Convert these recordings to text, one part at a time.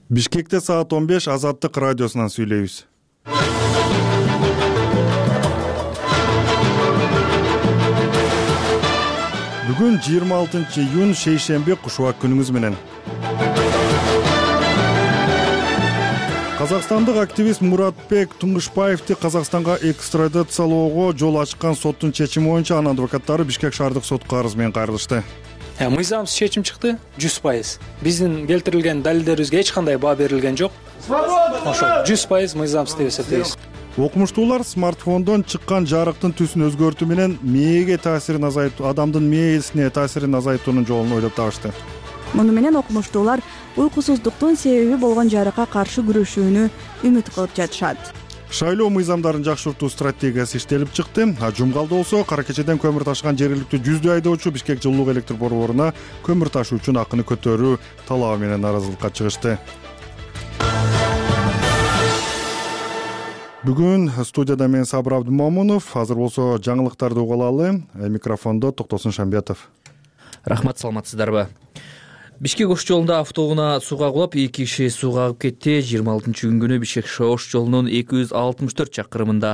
Бишкекте саат 15 Азаттык радиосунан сүйлөйбүз. Бүгүн 26-июнь шейшемби кушубак күнүңүз менен. Казакстандык активист Муратбек Туңгушбаевди Казакстанга экстрадициялоого жол ачкан соттун чечими боюнча анын адвокаттары Бишкек шаардык сотко арыз менен кайрылышты. Мыйзамсыз чечим чыкты 100%. Биздин келтирилген далилдерибизге эч кандай баа берилген жок. Ошо 100% мыйзамсыз деп эсептейбиз. Окумуштуулар смартфондон чыккан жарыктын түсүн өзгөртүү менен мээге таасирин азайтуу, адамдын мээсине таасирин азайтуунун жолун ойлоп табышты. Муну менен окумуштуулар уйкусуздуктун себеби болгон жарыкка каршы күрөшүүнү үмүт кылып жатышат. Шайлоо мыйзамдарын жакшыртуу стратегиясы иштелип чыкты. Жумгалда болсо кара кечеден көмүр ташыган жергиликтүү жүздөй айдоочу Бишкек жылуулук электр борборуна көмүр ташуу үчүн акыны көтөрүү талабы менен нааразылыкка чыгышты. Бүгүн студияда мен Сабыр Абдымомунов, азыр болсо жаңылыктарды угуп алалы. Микрофондо Токтосун Шамбиятов. Рахмат, саламатсыздарбы? Бишкек ош жолунда автоунаа сууга кулап, 2 киши сууга агып кетти. 26-июнь күнү Бишкек ош жолунун 264 чакырымында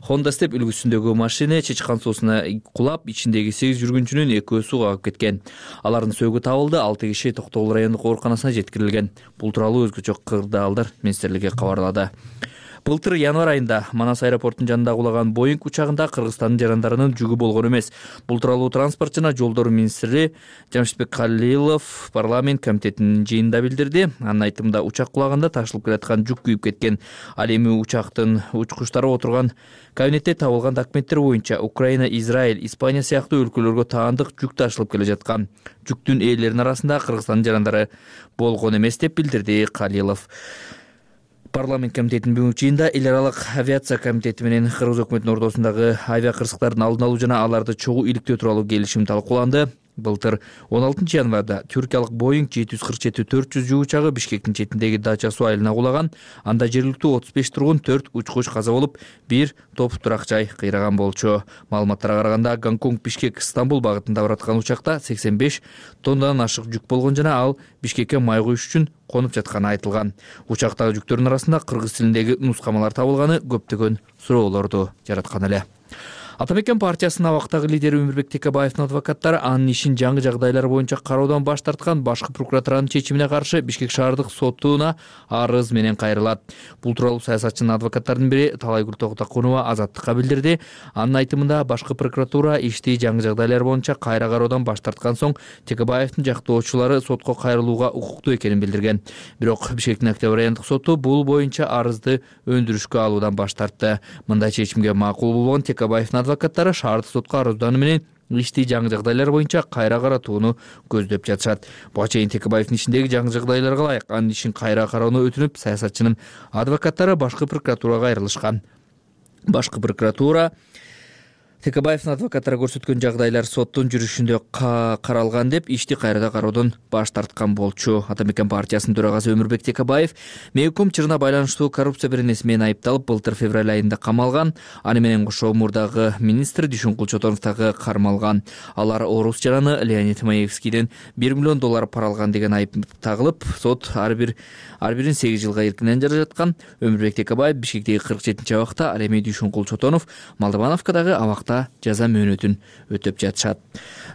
Honda Step үлгүсүндөгү машина чычкан суусуна кулап, ичиндеги 8 жүргүнчүнүн 2-өө сууга агып кеткен. Алардын сөөгү табылды, 6 киши Токтогул райондук ооруканасына жеткирилген. Бул тууралуу өзгөчө кырдаалдар министрлиги кабарлады. Былтыр январь айында Манас аэропортунун жанында кулаган Боинг учагында Кыргызстандын жарандарынын жүгү болгон эмес. Бул тууралуу транспорт жана жолдор министри Жамшитбек Калилов парламент комитетинин жыйынында билдирди. Анын айтымында учак кулаганда ташылып келаткан жүк күйүп кеткен. Ал эми учактын учкучтары отурган кабинетте табылган документтер боюнча Украина, Израиль, Испания сыяктуу өлкөлөргө таандык жүк ташылып келе жаткан. Жүктүн ээлеринин арасында Кыргызстандын жарандары болгон эмес деп билдирди Калилов. Парламент комитетинин бүгүнкү жыйынында эл аралык авиация комитети менен Кыргыз өкмөтүнүн ортосундагы авиа кырсыктардын алдын алуу жана аларды чогуу иликтөө тууралуу келишим талкууланды. Былтыр 16 январда түркиялык Боинг 747-400 жүк учагы Бишкектин четиндеги Дача суу айылына кулаган. Анда жергиликтүү 35 тургун, 4 учкуч каза болуп, 1 топ турак жай кыйраган болчу. Маалыматтарга караганда, Гонконг Бишкек Стамбул багытында бараткан учакта 85 тоннадан ашык жүк болгон жана ал Бишкекке май куюш үчүн конуп жатканы айтылган. Учактагы жүктөрдүн арасында кыргыз тилиндеги нускамалар табылганы көптөгөн суроолорду жараткан эле. Ата мекен партиясынын абактагы лидери Өмүрбек Текебаевдин адвокаттары анын ишин жаңы жагдайлар боюнча кароодон баш тарткан башкы прокуратуранын чечимине каршы Бишкек шаардык сотуна арыз менен кайрылат. Бул тууралуу саясатчынын адвокаттарынын бири Талайгүл Токтокунова Азаттыкка билдирди. Анын айтымында башкы прокуратура ишти жаңы жагдайлар боюнча кайра кароодон баш тарткан соң Текебаевдин жактоочулары сотко кайрылууга укуктуу экенин билдирген. Бирок Бишкектин Октябрь райондук соту бул боюнча арызды өндүрүшкө алуудан баш тартты. Мындай чечимге макул болгон Текебаевдин адвокаттары шаардык сотко арызданы менен ишти жаңы жагдайлар боюнча кайра каратууну көздөп жатышат. Буга чейин Текебаевдин ишиндеги жаңы жагдайларга ылайык анын ишин кайра кароону өтүнүп, саясатчынын адвокаттары башкы прокуратурага кайрылышкан. Башкы прокуратура Текебаевдин адвокаттары көрсөткөн жагдайлар соттун жүрүшүндө каралган деп ишти кайрадан кароодон баш тарткан болчу. Ата мекен партиясынын төрагасы Өмүрбек Текебаев Мейком чырына байланыштуу коррупция беренеси менен айыпталып, былтыр февраль айында камалган. Аны менен кошо мурдагы министр Дүйшөнкул Чотонов дагы кармалган. Алар орус жараны Леонид Маевскийден $1 миллион пара алган деген айып тагылып, сот ар бирин 8 жылга эркинен жараткан. Өмүрбек Текебаев Бишкектеги 47 абакта, ал эми Дүйшөнкул Чотонов Малдыбановкадагы абакта жаза мөөнөтүн өтөп жатышат.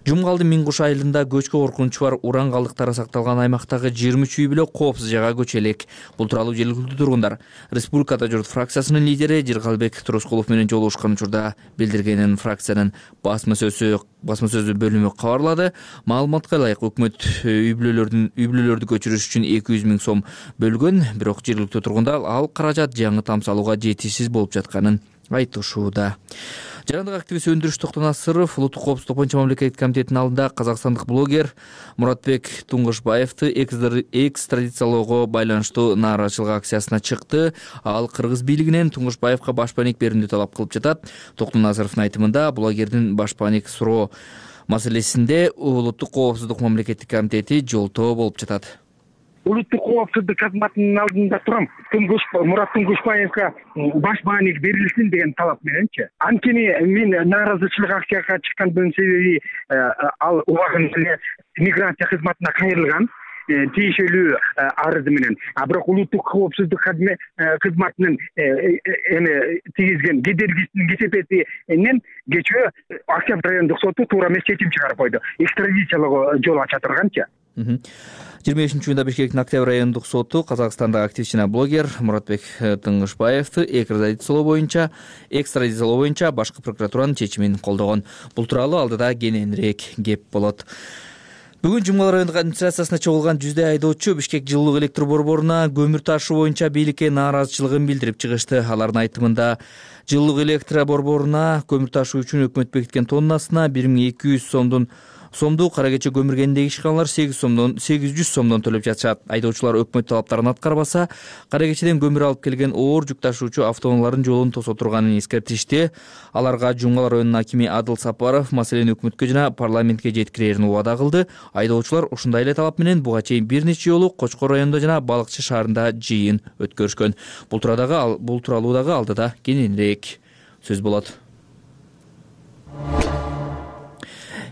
Жумгалдын Миңкуш айылында көчкө коркунучу бар уран калдыктары сакталган аймактагы 23 үй бүлө коопсуз жайга көчө элек. Бул тууралуу жергиликтүү тургундар Республикада журт фракциясынын лидери Жиргалбек Турускулов менен жолугушкан учурда билдиргенин фракциянын басма сөзү бөлүмү кабарлады. Маалыматка ылайык өкмөт үй бүлөлөрдү көчүрүш үчүн 200 000 сом бөлгөн, бирок жергиликтүү тургундар ал каражат жаңы тамсалууга жетишсиз болуп жатканын айтышууда. Жарандык активист Өндүрүш Токтонасыров улуттук коопсуздук боюнча мамлекеттик комитеттин алдында казакстандык блогер Муратбек Туңгушбаевди экстрадициялоого байланыштуу нааразычылык акциясына чыкты. Ал кыргыз бийлигинен Туңгушбаевга башпаник берүүнү талап кылып жатат. Токтонасыровдун айтымында блогердин башпаник суроо маселесинде улуттук коопсуздук мамлекеттик комитети жолтоо болуп жатат. Улуттук коопсуздук кызматынын алдында турам. Мурат Туңгушбаевга башбааник берилсин деген талап мененчи. Анткени мен нааразычылык акцияга чыккандын себеби ал убагында эле миграция кызматына кайрылган. тиешелүү арызы менен. Бирок улуттук коопсуздук кызматынын эми тийгизген кедергисинин кесепетинен кечээ Октябрь райондук соту туура эмес чечим чыгарып койду. Экстрадициялоого жол ача турганчы. 25-июнда Бишкектин Октябрь райондук соту Казакстандагы активист жана блогер Муратбек Тыңгышбаевди экстрадициялоо боюнча башкы прокуратуранын чечимин колдогон. Бул тууралуу алдыда кененирээк кеп болот. Бүгүн Жумгал райондук администрациясына чогулган жүздөй айдоочу Бишкек жылуулук электр борборуна көмүр ташуу боюнча бийликке нааразычылыгын билдирип чыгышты. Алардын айтымында жылуулук электр борборуна көмүр ташуу үчүн өкмөт бекиткен тоннасына 1200 сомдук кара кече көмүргендеги ишканалар 800 сомдон төлөп жатышат. Айдоочулар өкмөт талаптарын аткарбаса, кара кечеден көмүр алып келген оор жүк ташуучу автоунаалардын жолун тосо турганын эскертишти. Аларга Жумгал районунун акими Адыл Сапаров маселени өкмөткө жана парламентке жеткирерин убада кылды. Айдоочулар ушундай эле талап менен буга чейин бир нече жолу Кочкор районунда жана Балыкчы шаарында жыйын өткөрүшкөн. Бул тууралуу дагы алдыда кененирээк сөз болот.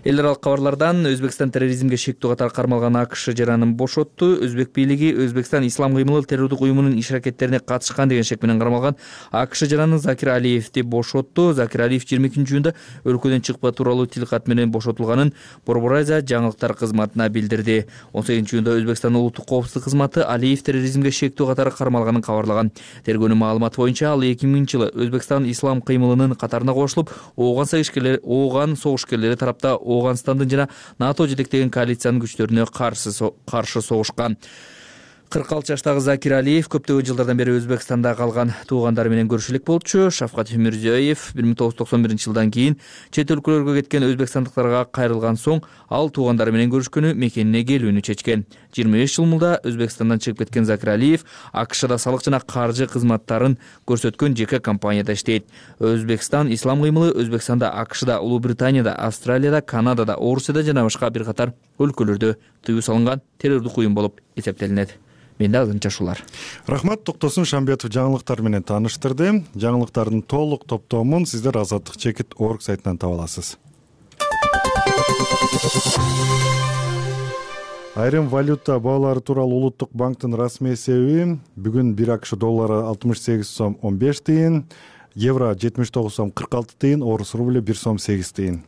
Эл аралык кабарлардан Өзбекстан терроризмге шектүү катары кармалган АКШ жаранын бошотту. Өзбек бийлиги Өзбекстан ислам кыймылы террордук уюмунун иш-аракеттерине катышкан деген шек менен кармалган АКШ жаранын Закир Алиевди бошотту. Закир Алиев 22-июнда өлкөдөн чыкпа тууралуу тилкат менен бошотулганын Борбор Азия жаңылыктар кызматына билдирди. 18-июнда Өзбекстан улуттук коопсуздук кызматы Алиев терроризмге шектүү катары кармалганын кабарлаган. Тергөөнүн маалыматы боюнча ал 2000-жылы Өзбекстан ислам кыймылынын катарына кошулуп, ооган согушкерлери тарапта Оганстандын жана НАТО жетектеген коалициянын күчтөрүнө каршы согушкан. 46 жаштагы Закир Алиев көптөгөн жылдардан бери Өзбекстанда калган туугандары менен көрүшүп элек болчу. Шавкат Мирзиёев 1991-жылдан кийин чет өлкөлөргө кеткен өзбекстандыктарга кайрылган соң ал туугандары менен көрүшкөнү, мекенине келүүнү чечкен. 25 жыл мурда Өзбекстандан чыгып кеткен Закир Алиев АКШда салык жана каржы кызматтарын көрсөткөн жеке компанияда иштейт. Өзбекстан ислам кыймылы Өзбекстанда, АКШда, Улуу Британияда, Австралияда, Канадада, Орусияда жана башка бир катар өлкөлөрдө тыюу салынган террордук уюм болуп эсептелинет. Менде азырынча ушулар. Рахмат, Токтосун Шамбетов жаңылыктар менен тааныштырды. Жаңылыктардын толук топтомун сиздер azadlyk.org сайтынан таба аласыз. Айрым валюта баалары тууралуу Улуттук банктын расмий эсеби бүгүн 1 АКШ доллары 68 сом 15 тыйын, евро 79 сом 46 тыйын, орус рубль 1 сом 8 тыйын.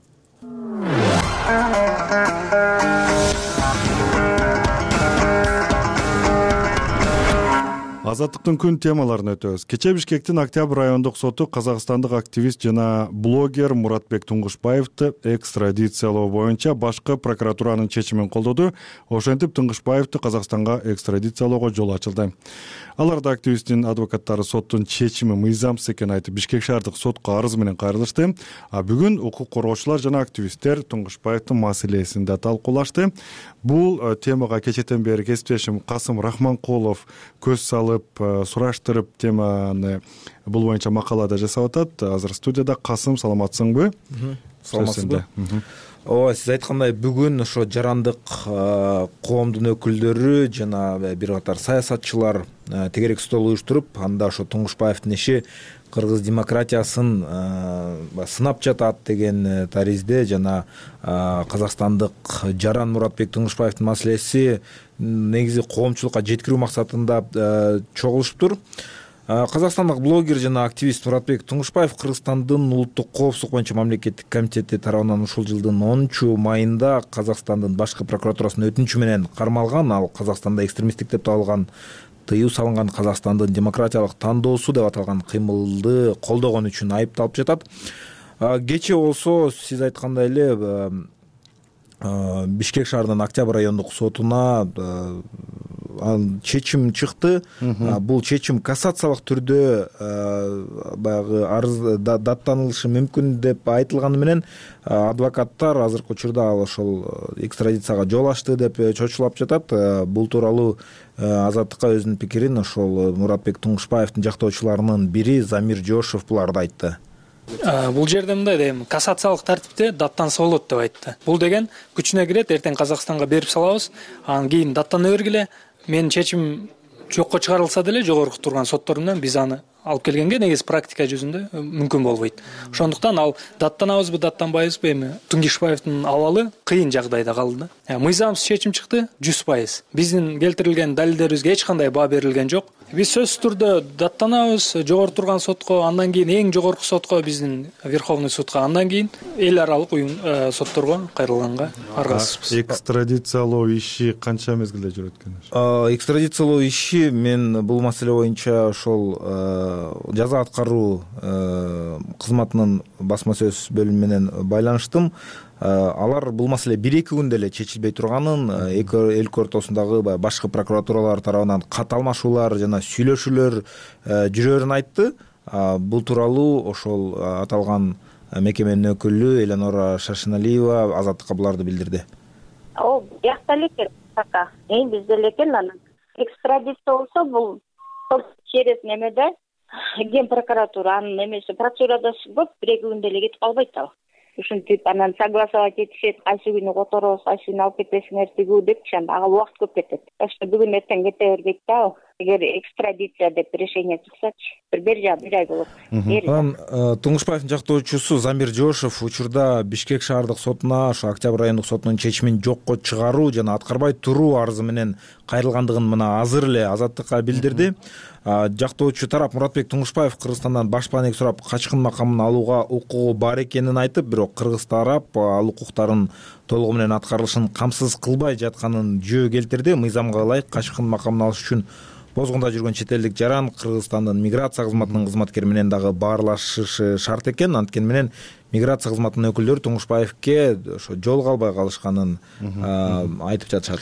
Азаттыктын күн темаларын өтөбүз. Кечээ Бишкектин Октябрь райондук соту казакстандык активист жана блогер Муратбек Тыңгышбаевди экстрадициялоо боюнча башкы прокуратуранын чечимин колдоду. Ошентип Тыңгышбаевди Казакстанга экстрадициялоого жол ачылды. Аларда активисттин адвокаттары соттун чечими мыйзамсыз экенин айтып Бишкек шаардык сотко арыз менен кайрылышты. Бүгүн укук коргоочулар жана активисттер Тыңгышбаевдин маселесин да талкуулашты. Бул темага кечээден бери кесиптешим Касым Рахманкулов көз салып, сураштырып теманы бул боюнча макала да жасап атат. Азыр студияда. Касым, саламатсыңбы? Саламатсызбы? Ооба, сиз айткандай бүгүн ошо жарандык коомдун өкүлдөрү жана бир катар саясатчылар тегерек стол уюштуруп, анда ошо Тыңгышбаевдин иши кыргыз демократиясын сынап жатат деген таризде жана казакстандык жаран Муратбек Тыңгышбаевдин маселеси негизи коомчулукка жеткирүү максатында чогулушуптур. Казакстандык блогер жана активист Муратбек Тыңгышбаев Кыргызстандын улуттук коопсуздук боюнча мамлекеттик комитети тарабынан ушул жылдын 10-майында Казакстандын башкы прокуратурасынын өтүнүчү менен кармалган. Ал Казакстанда экстремисттик деп табылган, тыюу салынган Казакстандын демократиялык тандоосу деп аталган кыймылды колдогон үчүн айыпталып жатат. Кечээ болсо сиз айткандай эле Бишкек шаарынын Октябрь райондук сотуна чечим чыкты. Бул чечим кассациялык түрдө баягы арыз даттанылышы мүмкүн деп айтылганы менен адвокаттар азыркы учурда ал ошол экстрадицияга жол ачты деп чочулап жатат. Бул тууралуу Азаттыкка өзүнүн пикирин ошол Муратбек Тыңгышбаевдин жактоочуларынын бири Замир Жошев буларды айтты. Бул жерде мындай дейм, кассациялык тартипте даттанса болот деп айтты. Бул деген күчүнө кирет, эртең Казакстанга берип салабыз, анан кийин даттана бергиле. Менин чечим жокко чыгарылса деле жогорку турган соттор менен биз аны алып келгенге негизи практика жүзүндө мүмкүн болбойт. Ошондуктан ал даттанабызбы, даттанбайбызбы, эми Туңгишбаевдин абалы кыйын жагдайда калды да. Мыйзамсыз чечим чыкты 100%. Биздин келтирилген далилдерибизге эч кандай баа берилген жок. Биз сөзсүз түрдө даттанабыз, жогору турган сотко, андан кийин эң жогорку сотко, биздин Верховный судка, андан кийин эл аралык сотторго кайрылганга аргасызбыз. Экстрадициялоо иши канча мезгилде жүрөт экен? Экстрадициялоо иши мен бул маселе боюнча ошол жаза аткаруу кызматынын басма сөз бөлүмү менен байланыштым. Алар бул маселе 1-2 күндө эле чечилбей турганын, эки эл ортосундагы башкы прокуратуралар тарабынан кат алмашуулар жана сүйлөшүүлөр жүрөрүн айтты. Бул тууралуу ошол аталган мекеменин өкүлү Эленора Шашиналиева Азаттыкка буларды билдирди. Бияқта элекен пока. Бизде элекен анан экстрадиция болсо бул через немеде ген прокуратура анын немеси процедурада көп 1-2 күндө эле кетип калбайт ал. Ушинтип анан согласовать этишет, кайсы күнү которобуз, кайсы күнү алып кетесиңер тигүү деп, ага убакыт көп кетет. Так что бүгүн эртең кете бербейт да. Эгер экстрадиция деп решение чыксачы, бир ай болот. Анан Туңгушбаевдин жактоочусу Замир Жошев учурда Бишкек шаардык сотуна, ошо Октябрь райондук сотунун чечимин жокко чыгаруу жана аткарбай туруу арызы менен кайрылгандыгын мына азыр эле Азаттыкка билдирди. Жактоочу тарап Муратбек Туңгушбаев Кыргызстандан баш бааник сурап качкын макамын алууга укугу бар экенин айтып, бирок кыргыз тарап ал укуктарын толугу менен аткарылышын камсыз кылбай жатканын жөө келтирди. Мыйзамга ылайык качкын макамын алыш үчүн бозгунда жүргөн чет элдик жаран Кыргызстандын миграция кызматынын кызматкери менен дагы баарлашышы шарт экен. Анткени менен миграция кызматынын өкүлдөрү Туңгушбаевке ошо жол калбай калышканын айтып жатышат.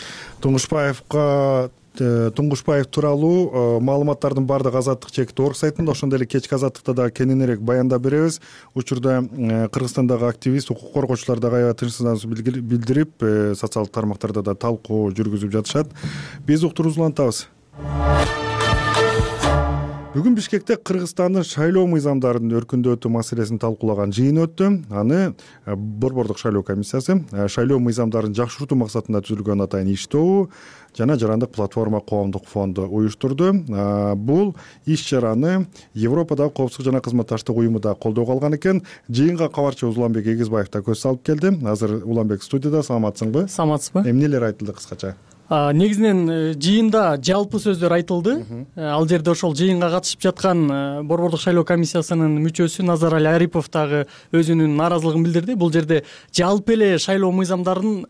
Туңгушбаев тууралуу маалыматтардын баардыгы Азаттык чекит орг сайтында, ошондой эле кечки Азаттыкта дагы кененирээк баяндап беребиз. Учурда Кыргызстандагы активист, укук коргоочулар дагы аябай тынчсыздануусун билдирип, социалдык тармактарда да талкуу жүргүзүп жатышат. Биз уктуруубузду улантабыз. Бүгүн Бишкекте Кыргызстандын шайлоо мыйзамдарынын өркүндөтүү маселесин талкуулаган жыйын өттү. Аны Борбордук шайлоо комиссиясы шайлоо мыйзамдарын жакшыртуу максатында түзүлгөн атайын иш-тобу жана жарандык платформа коомдук фонду уюштурду. Бул иш-чараны Европадагы коопсуздук жана кызматташтык уюму да колдоого алган экен. Жыйынга кабарчыбыз Уланбек Эгизбаев да көз салып келди. Азыр Уланбек студияда. Саламатсыңбы? Саламатсызбы? Эмнелер айтылды кыскача? Негизинен жыйында жалпы сөздөр айтылды. Ал жерде ошол жыйынга катышып жаткан Борбордук шайлоо комиссиясынын мүчөсү Назарали Арипов дагы өзүнүн нааразылыгын билдирди. Бул жерде жалпы эле шайлоо мыйзамдарын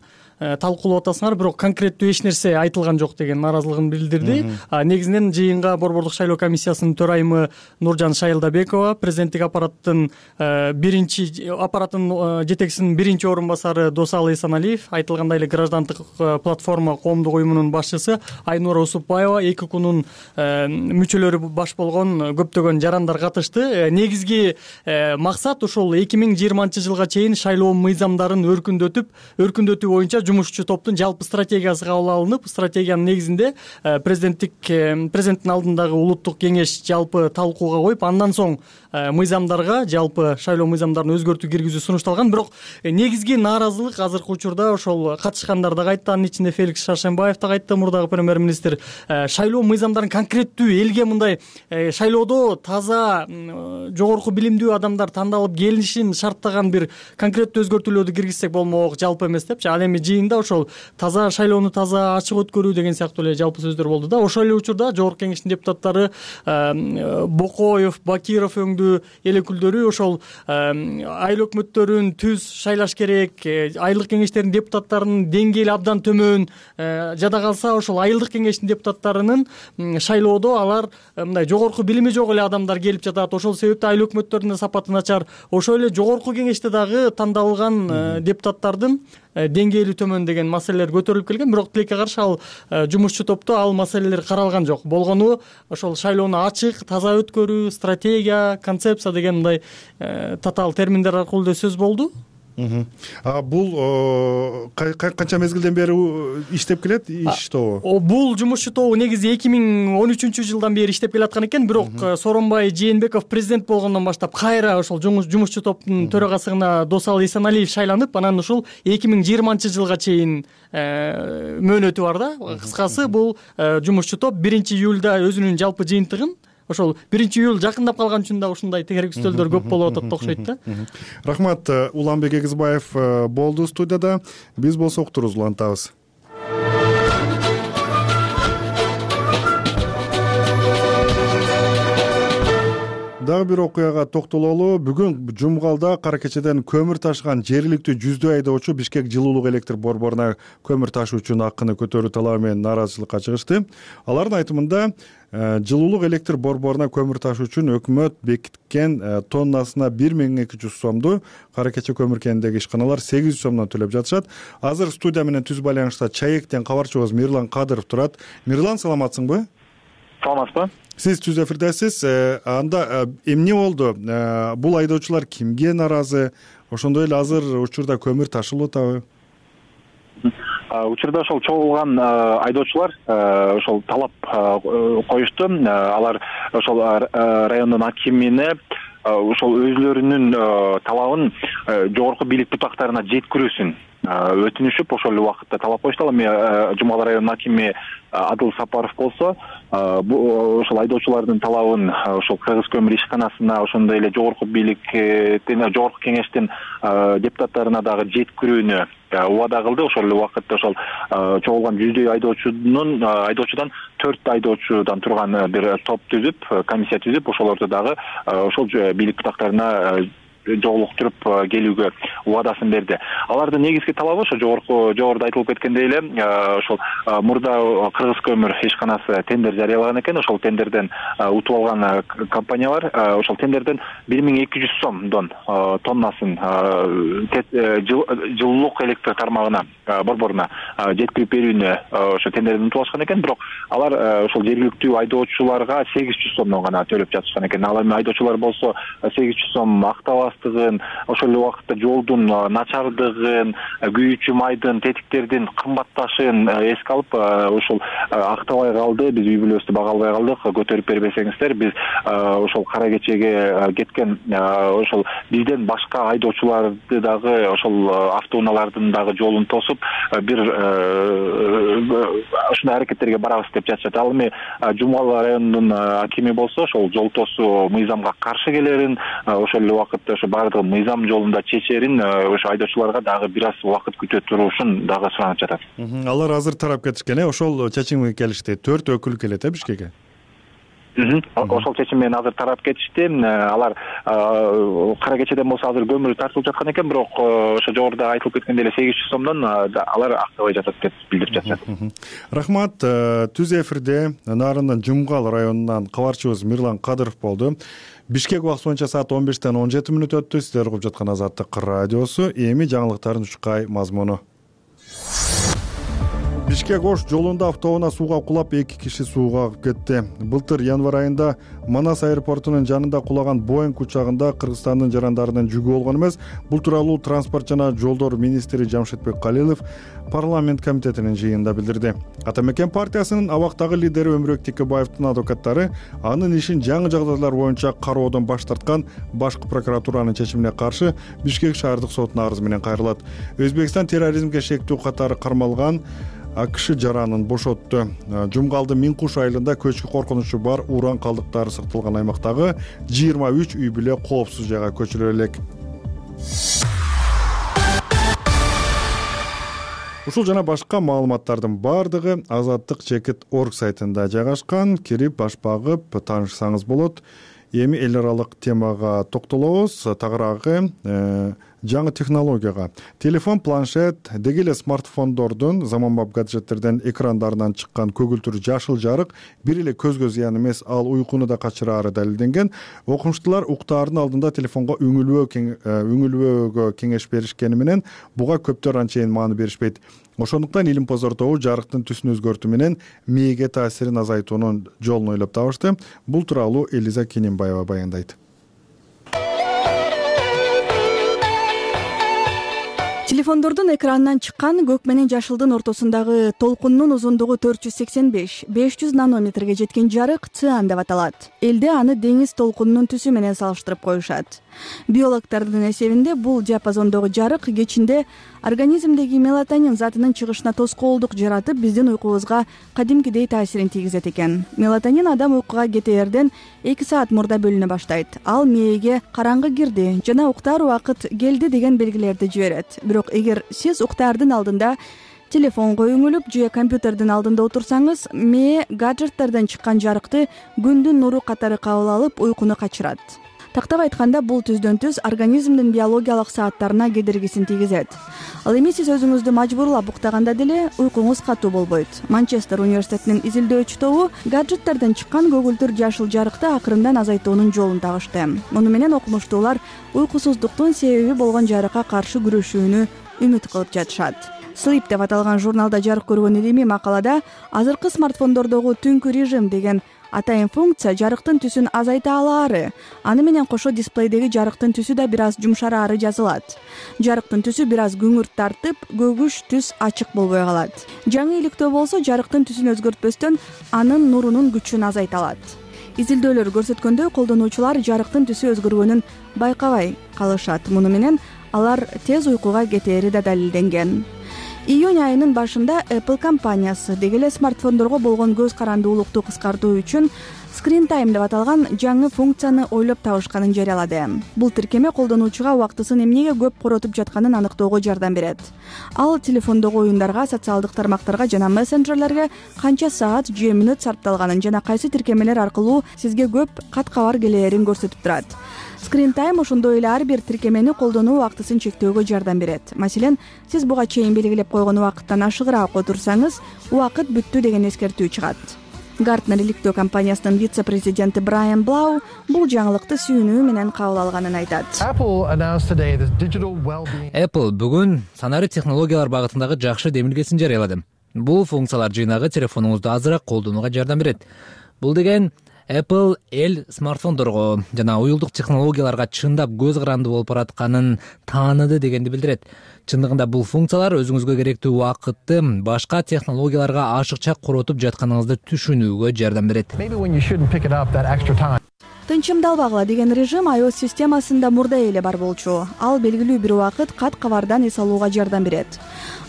талкуулап атасыңар, бирок конкреттүү эч нерсе айтылган жок деген нааразылыгын билдирди. Негизинен жыйынга Борбордук шайлоо комиссиясынын төрайымы Нуржан Шайылдабекова, президенттик аппараттын жетекчисинин биринчи орун басары Досалы Эсеналиев, айтылгандай эле граждандык платформа коомдук уюмунун башчысы Айнура Усупбаева, ЭККнун мүчөлөрү баш болгон көптөгөн жарандар катышты. Негизги максат ушул 2020-жылга чейин шайлоо мыйзамдарын өркүндөтүү боюнча жумушчу топтун жалпы стратегиясы кабыл алынып, стратегиянын негизинде президенттин алдындагы улуттук кеңеш жалпы талкууга коюп, андан соң мыйзамдарга, жалпы шайлоо мыйзамдарын өзгөртүү киргизүү сунушталган. Бирок негизги нааразылык азыркы учурда ошол катышкандар дагы айтты, анын ичинде Феликс Шаршенбаев дагы айтты, мурдагы премьер-министр. Шайлоо мыйзамдарын конкреттүү элге мындай шайлоодо таза, жогорку билимдүү адамдар тандалып келишин шарттаган бир конкреттүү өзгөртүүлөрдү киргизсек болмок, жалпы эмес депчи. Ал эми жыйында ошол таза шайлоону таза ачык өткөрүү деген сыяктуу эле жалпы сөздөр болду да. Ошол эле учурда жогорку кеңештин депутаттары Бокоев, Бакиров өңдүү эл өкүлдөрү ошол айыл өкмөттөрүн түз шайлаш керек, айылдык кеңештердин депутаттарынын деңгээли абдан төмөн, жада калса ошол айылдык кеңештин депутаттарынын шайлоодо алар мындай жогорку билими жок эле адамдар келип жатат. Ошол себептен айыл өкмөттөрүнүн сапаты начар. Ошол эле жогорку кеңеште дагы тандалган депутаттардын деңгээли төмөн деген маселелер көтөрүлүп келген. Бирок тилекке каршы ал жумушчу топто ал маселелер каралган жок. Болгону ошол шайлоону ачык, таза өткөрүү, стратегия, концепция деген мындай татаал терминдер аркылуу да сөз болду. Бул канча мезгилден бери иштеп келет иш тобу? Бул жумушчу тобу негизи 2013-жылдан бери иштеп келаткан экен, бирок Сооронбай Жээнбеков президент болгондон баштап кайра ошол жумушчу топтун төрагасына Досалы Эсеналиев шайланып, анан ушул 2020-жылга чейин мөөнөтү бар да. Кыскасы бул жумушчу топ 1-июлда өзүнүн жалпы жыйынтыгын ошол 1-июль жакындап калган үчүн да ушундай тегеректөөлдөр көп болуп атат окшойт да. Рахмат. Уланбек Эгизбаев болду студияда. Биз болсо уктурубузду улантабыз. Дагы бир окуяга токтололу. Бүгүн Жумгалда кара кечеден көмүр ташыган жергиликтүү жүздөй айдоочу Бишкек жылуулук электр борборуна көмүр ташуу үчүн акыны көтөрүү талабы менен нааразычылыкка чыгышты. Алардын айтымында жылуулук электр борборуна көмүр ташуу үчүн өкмөт бекиткен тоннасына 1200 сомду кара кече көмүр кенидеги ишканалар 800 сомдон төлөп жатышат. Азыр студия менен түз байланышта ЧАЭКтен кабарчыбыз Мирлан Кадыров турат. Мирлан, саламатсыңбы? Саламатсызбы? Сиз түз эфирдесиз. Анда эмне болду? Бул айдоочулар кимге нааразы? Ошондой эле азыр учурда көмүр ташылып атабы? Учурда ошол чогулган айдоочулар ошол талап коюшту. Алар ошол райондун акимине ошол өзлөрүнүн талабын жогорку бийлик бутактарына жеткирүүсүн өтүнүшүп ошол убакытта талап коюшту. Ал эми Жумгал районунун акими Адыл Сапаров болсо ошол айдоочулардын талабын ошол Кыргыз көмүр ишканасына, ошондой эле жогорку бийликтен, жогорку кеңештин депутаттарына дагы жеткирүүнү убада кылды. Ошол эле убакытта ошол чогулган жүздөй айдоочудан 4 айдоочудан турган бир топ түзүп, комиссия түзүп, ошолорду дагы ошол бийлик бутактарына жолуктуруп келүүгө убадасын берди. Алардын негизги талабы ошо жогоруда айтылып кеткендей эле ошол мурда Кыргыз көмүр ишканасы тендер жарыялаган экен. Ошол тендерден утуп алган компаниялар ошол тендерден 1200 сомдон тоннасын жылуулук электр тармагына, борборуна жеткирип берүүнү ошо тендерден утуп алышкан экен. Бирок алар ошол жергиликтүү айдоочуларга 800 сомдон гана төлөп жатышкан экен. Ал эми айдоочулар болсо 800 сом актабас, ошол эле убакытта жолдун начардыгын, күйүүчү майдын, тетиктердин кымбатташын эске алып ошол актабай калды. Биз үй бүлөбүздү бага албай калдык. Көтөрүп бербесеңиздер, биз ошол кара кечеге кеткен ошол бизден башка айдоочуларды дагы ошол автоунаалардын дагы жолун тосуп бир ушундай аракеттерге барабыз деп жатышат. Ал эми Жумгал районунун акими болсо ошол жол тосуу мыйзамга каршы келерин, ошол эле убакытта баардыгы мыйзам жолунда чечерин, ошо айдоочуларга дагы бир аз убакыт күтө турушун дагы суранып жатат. Алар азыр тарап кетишкен, ошол чечимге келишти. 4 өкүл келет Бишкекке. Ошол чечим менен азыр тарап кетишти. Алар кара кечеден болсо азыр көмүр тартылып жаткан экен, бирок ошо жогоруда айтылып кеткендей эле 800 сомдон алар актабай жатат деп билдирип жатышат. Рахмат. Түз эфирде Нарындын Жумгал районунан кабарчыбыз Мирлан Кадыров болду. Бишкек убакыты боюнча саат 15-тен 17 мүнөт өттү. Сиздер угуп жаткан Азаттык радиосу. Эми жаңылыктардын ушкай мазмуну. Бишкек-Ош жолунда автоунаа сууга кулап 2 киши сууга агып кетти. Былтыр январь айында Манас аэропортунун жанында кулаган Боинг учагында Кыргызстандын жарандарынын жүгү болгон эмес. Бул тууралуу транспорт жана жолдор министри Жамшитбек Калилов парламент комитетинин жыйынында билдирди. Атамекен партиясынын абактагы лидери Өмүрбек Текебаевдин адвокаттары анын ишин жаңы жагдайлар боюнча кароодон баш тарткан башкы прокуратуранын чечимине каршы Бишкек шаардык сотуна арыз менен кайрылат. Өзбекстан терроризмге шектүү катары кармалган АКШ жаранын бошотту. Жумгалдын Минкуш айылында көчкү коркунучу бар уран калдыктары сакталган аймактагы 23 үй бүлө коопсуз жайга көчүрүлө элек. Ушул жана башка маалыматтардын бардыгы Азаттык.org сайтында жайгашкан. Кирип баш багып таанышсаңыз болот. Эми эл аралык темага токтолобуз. Тагыраагы жаңы технологияга. Телефон, планшет, деги эле смартфондордун, заманбап гаджеттерден экрандарынан чыккан көгүлтүр жашыл жарык бир эле көзгө зыян эмес, ал уйкуну да качыраары далилденген. Окумуштуулар уктаардын алдында телефонго үңүлбөөгө кеңеш беришкени менен буга көптөр анчейин маани беришпейт. Ошондуктан илим-позор тобу жарыктын түсүн өзгөртүү менен мээге таасирин азайтуунун жолун ойлоп табышты. Бул тууралуу Элиза Кененбаева баяндайт. телефондордун экранынан чыккан көк менен жашылдын ортосундагы толкуннун узундугу 485-500 нанометрге жеткен жарык циан деп аталат. Элде аны деңиз толкунунун түсү менен салыштырып коюшат. Биологдордун эсебинде бул диапазондогу жарык кечинде организмдеги мелатонин затынын чыгышына тоскоолдук жаратып, биздин уйкубузга кадимкидей таасирин тийгизет экен. Мелатонин адам уйкуга кетээрден 2 саат мурда бөлүнө баштайт. Ал мээге караңгы кирди жана уктаар убакыт келди деген белгилерди жиберет. Бирок эгер сиз уктаардын алдында телефонго үңүлүп же компьютердин алдында отурсаңыз, мээ гаджетттерден чыккан жарыкты күндүн нуру катары кабыл алып, уйкуну качырат. Тактап айтканда, бул түздөн-түз организмдин биологиялык сааттарына кедергисин тийгизет. Ал эми сиз өзүңүздү мажбурлап уктаганда деле уйкуңуз катуу болбойт. Манчестер университетинин изилдөөчү тобу гаджеттерден чыккан көгүлтүр жашыл жарыкты акырындан азайтуунун жолун табышты. Муну менен окумуштуулар уйкусуздуктун себеби болгон жарыкка каршы күрөшүүнү үмүт кылып жатышат. Sleep деп аталган журналда жарык көргөн илимий макалада азыркы смартфондордогу түнкү режим деген атайын функция жарыктын түсүн азайта алаары, аны менен кошо дисплейдеги жарыктын түсү да бир аз жумшараары жазылат. Жарыктын түсү бир аз күңүрт тартып, көгүш түс ачык болбой калат. Жаңы иликтөө болсо жарыктын түсүн өзгөртпөстөн анын нурунун күчүн азайта алат. Изилдөөлөр көрсөткөндөй, колдонуучулар жарыктын түсү өзгөргөнүн байкабай калышат. Муну менен алар тез уйкуга кетери да далилденген. Июнь айынын башында Apple компаниясы деги эле смартфондорго болгон көз карандуулукту кыскартуу үчүн Screen Time деп аталган жаңы функцияны ойлоп табышканын жарыялады. Бул тиркеме колдонуучуга убактысын эмнеге көп коротуп жатканын аныктоого жардам берет. Ал телефондогу оюндарга, социалдык тармактарга жана мессенджерлерге канча саат же мүнөт сарпталганын жана кайсы тиркемелер аркылуу сизге көп кат кабар келээрин көрсөтүп турат. Screen Time ошондой эле ар бир тиркемени колдонуу убактысын чектөөгө жардам берет. Маселен, сиз буга чейин белгилеп койгон убакыттан ашыгыраак отурсаңыз, убакыт бүттү деген эскертүү чыгат. Gartner иликтөө компаниясынын вице-президенти Брайан Блау бул жаңылыкты сүйүнүү менен кабыл алганын айтат. Apple бүгүн санарип технологиялар багытындагы жакшы демилгесин жарыялады. Бул функциялар жыйнагы телефонуңузду азыраак колдонууга жардам берет. Бул деген Apple эл смартфондорго жана уюлдук технологияларга чындап көз каранды болуп баратканын тааныды дегенди билдирет. Чындыгында бул функциялар өзүңүзгө керектүү убакытты башка технологияларга ашыкча коротуп жатканыңызды түшүнүүгө жардам берет. Тынчымдалбагыла деген режим iOS системасында мурда эле бар болчу. Ал белгилүү бир убакыт кат кабардан эс алууга жардам берет.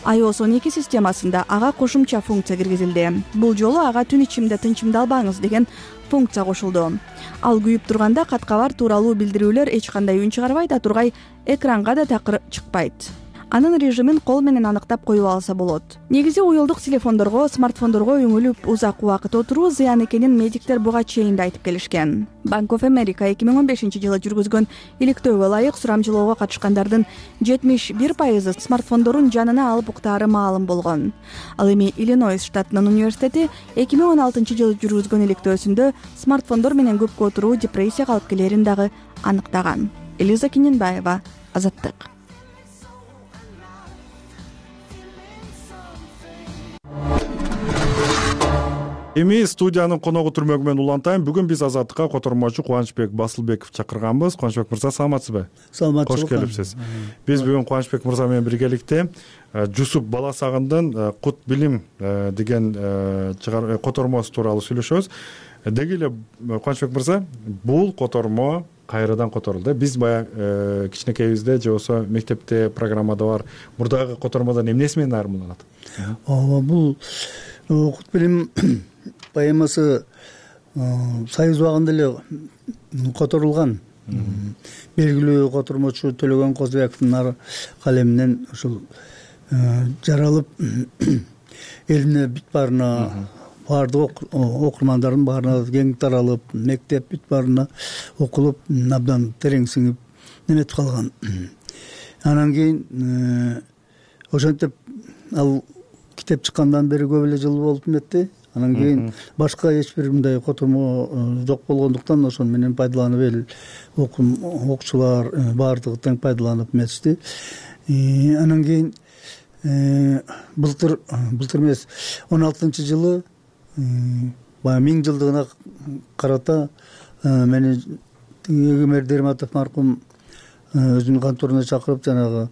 iOS 12 системасында ага кошумча функция киргизилди. Бул жолу ага түн ичинде тынчымдалбаңыз деген функция кошулду. Ал күйүп турганда кат кабар тууралуу билдирүүлөр эч кандай үн чыгарбайт, а тургай экранга да такыр чыкпайт. Анын режимин кол менен аныктап коюп алса болот. Негизи уюлдук телефондорго, смартфондорго үңүлүп узак убакыт отуруу зыян экенин медиктер буга чейин да айтып келишкен. Bank of America 2015 жылы жүргүзгөн иликтөөгө ылайык сурамжылоого катышкандардын 71% смартфондорун жанына алып уктаары маалым болгон. Ал эми Иллинойс штатынын университети 2016 жылы жүргүзгөн иликтөөсүндө смартфондор менен көпкө отуруу депрессияга алып келерин дагы аныктаган. Элиза Киненбаева, Азаттык. Эми студиянын коногу түрмөгү менен улантайм. Бүгүн биз Азаттыкка котормочу Кубанычбек Басылбеков чакырганбыз. Кубанычбек мырза, саламатсызбы? Саламатчылык. Кош келипсиз. Биз бүгүн Кубанычбек мырза менен биргеликте Жусуп Баласагындын Кут билим деген котормосу тууралуу сүйлөшөбүз. Деги эле Кубанычбек мырза, бул котормо кайрадан которулду. Биз баягы кичинекейибизде же болбосо мектепте программада бар мурдагы котормодон эмнеси менен айырмаланат? Бул Кут билим поэмасы Союз убагында эле которулган. Белгилүү котормочу Төлөгөн Козбековдун калеминен ушул жаралып элине бүт баарына, баардык окурмандардын баарына кең таралып, мектеп бүт баарына окулуп, абдан терең сиңип неметип калган. Анан кийин ошентип ал китеп чыккандан бери көп эле жыл болуп эметти. Анан кийин башка эч бир мындай котормо жок болгондуктан ошону менен пайдаланып эл окуучулар баардыгы тең пайдаланып эметишти. Анан кийин былтыр эмес 16-жылы баягы 1000 жылдыгына карата мени Эгемер Дерматов маркум өзүнүн конторуна чакырып жанагы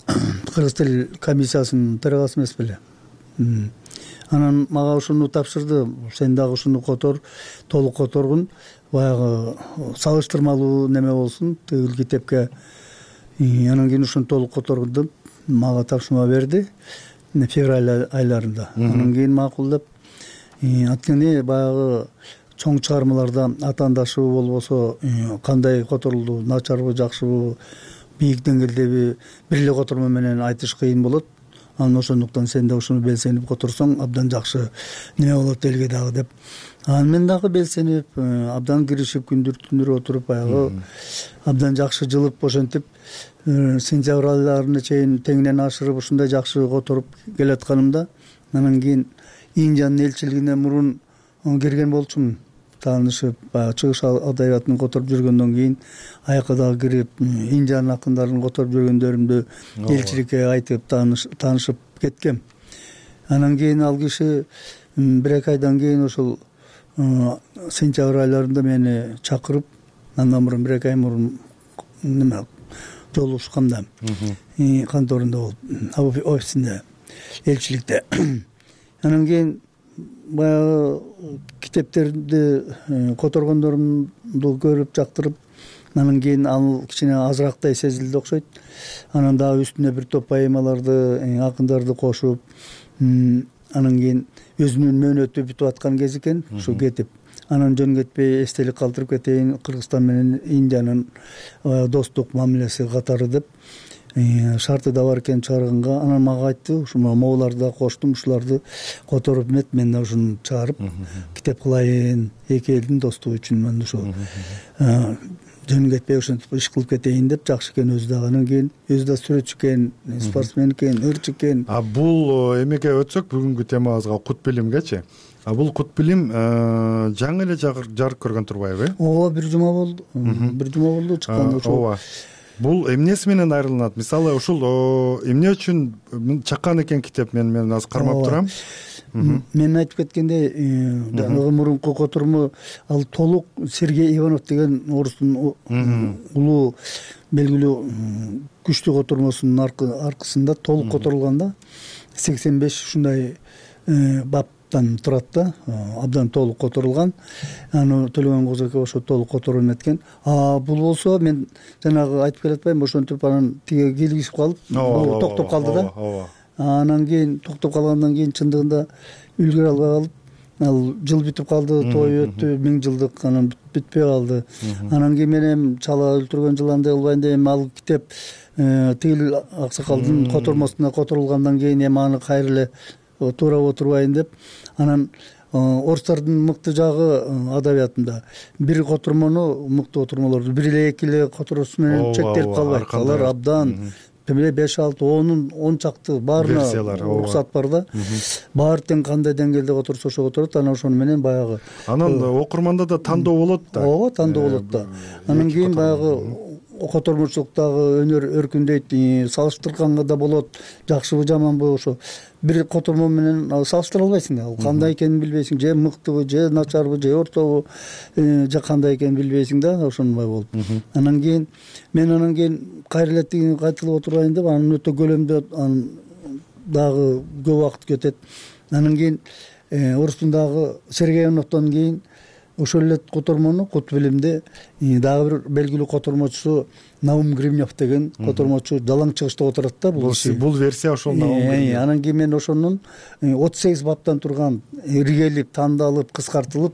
кыргыз тил комиссиясынын төрагасы эмес беле. Анан мага ушуну тапшырды, сен дагы ушуну котор, толук которгун, баягы салыштырмалуу неме болсун тигил китепке. Анан кийин ушуну толук которгун деп мага тапшырма берди февраль айларында. Анан кийин макулдап, анткени баягы чоң чыгармаларда атаандашыбы болбосо кандай которулду, начарбы, жакшыбы, бийик деңгээлдеби бир эле котормо менен айтыш кыйын болот. Анан ошондуктан сен да ушуну белсенип которсоң абдан жакшы неме болот элге дагы деп. Анан мен дагы белсенип, абдан киришип, күндүр түндөр отуруп, баягы абдан жакшы жылып, ошентип сентябрь айларына чейин теңинен ашырып ушундай жакшы которуп келатканымда, анан кийин Индиянын элчилигине мурун кирген болчумун. Таанышып, баягы чыгыш адабиятын которуп жүргөндөн кийин аяка дагы кирип, Индиянын акындарын которуп жүргөндөрүмдү элчиликке айтып таанышып кеткем. Анан кийин ал киши 1-2 айдан кийин ошол сентябрь айларында мени чакырып, андан мурун 1-2 ай мурун неме жолугушканда конторунда болуп, офисинде, элчиликте. Анан кийин баягы китептерди которгондорумду көрүп жактырып, анан кийин ал кичине азырактай сезилди окшойт. Анан дагы үстүнө бир топ поэмаларды, акындарды кошуп, анан кийин өзүнүн мөөнөтү бүтүп аткан кез экен, ушу кетип. Анан жөн кетпей эстелик калтырып кетейин, Кыргызстан менен Индиянын достук мамилеси катары деп шарты да бар экен чыгарганга. Анан мага айтты, ушу могуларды да коштум, ушуларды которуп эмет, мен да ушуну чыгарып китеп кылайын, эки элдин достугу үчүн мен ушу жөн кетпей ошентип иш кылып кетейин деп. Жакшы экен өзү дагы. Анан кийин өзү да сүрөтчү экен, спортсмен экен, ырчы экен. Бул эмеге өтсөк, бүгүнкү темабызга кут билимгечи. Бул кут билим жаңы эле жарык көргөн турбайбы? Ооба, бир жума болду. Бир жума болду чыккан. Ооба. Бул эмнеси менен айрылат? Мисалы ушул эмне үчүн чаккан экен китеп? Мен азыр кармап турам. Мен айтып кеткендей, жанагы мурунку котормо ал толук Сергей Иванов деген орустун улуу белгилүү күчтүү котормосунун аркысында толук которулганда 85 ушундай баптан турат да, абдан толук которулган. Аны Төлөгөн Козоке ошо толук которуп эметкен. Бул болсо мен жанагы айтып келатпаймынбы, ошентип анан тиге кийлигишип калып, токтоп калды да. Анан кийин токтоп калгандан кийин чындыгында үлгүрө албай калып, ал жыл бүтүп калды, той өттү, 1000 жылдык, анан бүтпөй калды. Анан кийин мен эми чала өлтүргөн жыландай болбайын деп, эми ал китеп тигил аксакалдын котормосуна которулгандан кийин эми аны кайра эле туурап отурбайын деп, анан орустардын мыкты жагы адабиятында бир котормону, мыкты котормолорду бир эле эки эле которосу менен чектелип калбайт. Алар абдан 5-6-10 чакты баарына уруксат бар да. Баары тең кандай деңгээлде которсо ошо которот. Анан ошону менен баягы анан окурманда да тандоо болот да. Ооба, тандоо болот да. Анан кийин баягы котормочулуктагы өнөр өркүндөйт, салыштырганга да болот, жакшыбы жаманбы, ошо бир котормо менен салыштыра албайсың да. Ал кандай экенин билбейсиң, же мыктыбы, же начарбы, же ортобу, же кандай экенин билбейсиң да, ошондой болуп. Анан кийин мен кайра эле тигини кайталап отурайын деп, анын өтө көлөмдүү дагы көп убакыт кетет. Анан кийин орустун дагы Сергей Ивановдон кийин ошол эле котормону кут билимди дагы бир белгилүү котормочусу Наум Гривнев деген котормочу жалаң чыгышта отурат да. Бул версия ошол Наум Гривнев. Анан кийин мен ошонун 38 баптан турган, иргелип, тандалып, кыскартылып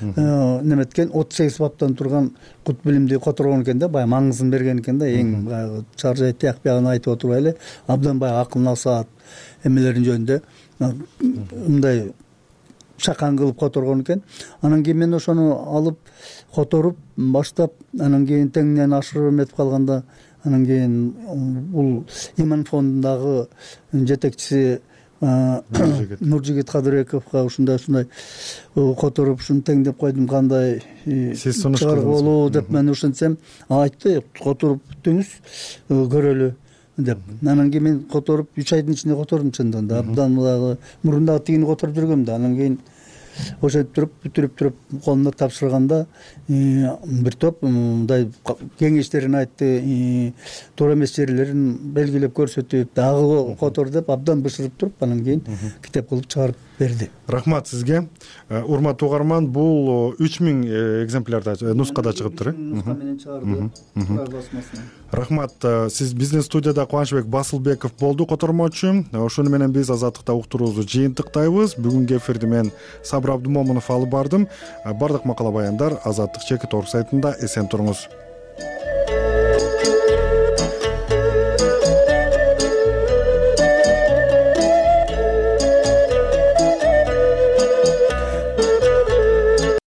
неметкен 38 баптан турган кут билимди которгон экен да, баягы маңызын берген экен да, эң баягы чаржай тияк биягын айтып отурбай эле, абдан баягы акыл насаат эмелерин жөнүндө мындай чакан кылып которгон экен. Анан кийин мен ошону алып которуп баштап, анан кийин теңинен ашырып эметип калганда, анан кийин бул Иман фондундагы жетекчиси Нуржигит Кадырбековго ушундай которуп, ушуну теңдеп койдум, кандай чыгарга болобу деп мен ушинтсем, айтты, которуп бүтүңүз, көрөлү деп. Анан кийин мен которуп 3 айдын ичинде котордум чындыгында. Абдан мурун дагы тигини которуп жүргөм да. Анан кийин ошентип туруп бүтүрүп туруп колуна тапшырганда бир топ мындай кеңештерин айтты, туура эмес жерлерин белгилеп көрсөтүп, дагы котор деп абдан бышырып туруп анан кийин китеп кылып чыгарып берди. Рахмат сизге. Урматтуу угарман, бул 3000 экземплярда нускада чыгыптыр. Нуска менен чыгарды. Рахмат. Сиз биздин студияда Кубанычбек Басылбеков болду, котормочу. Ошону менен биз Азаттыкта уктуруубузду жыйынтыктайбыз. Бүгүнкү эфирди мен Сабыр Абдумомунов алып бардым. Бардык макала баяндар Азаттык чекит орг сайтында. Эсен туруңуз.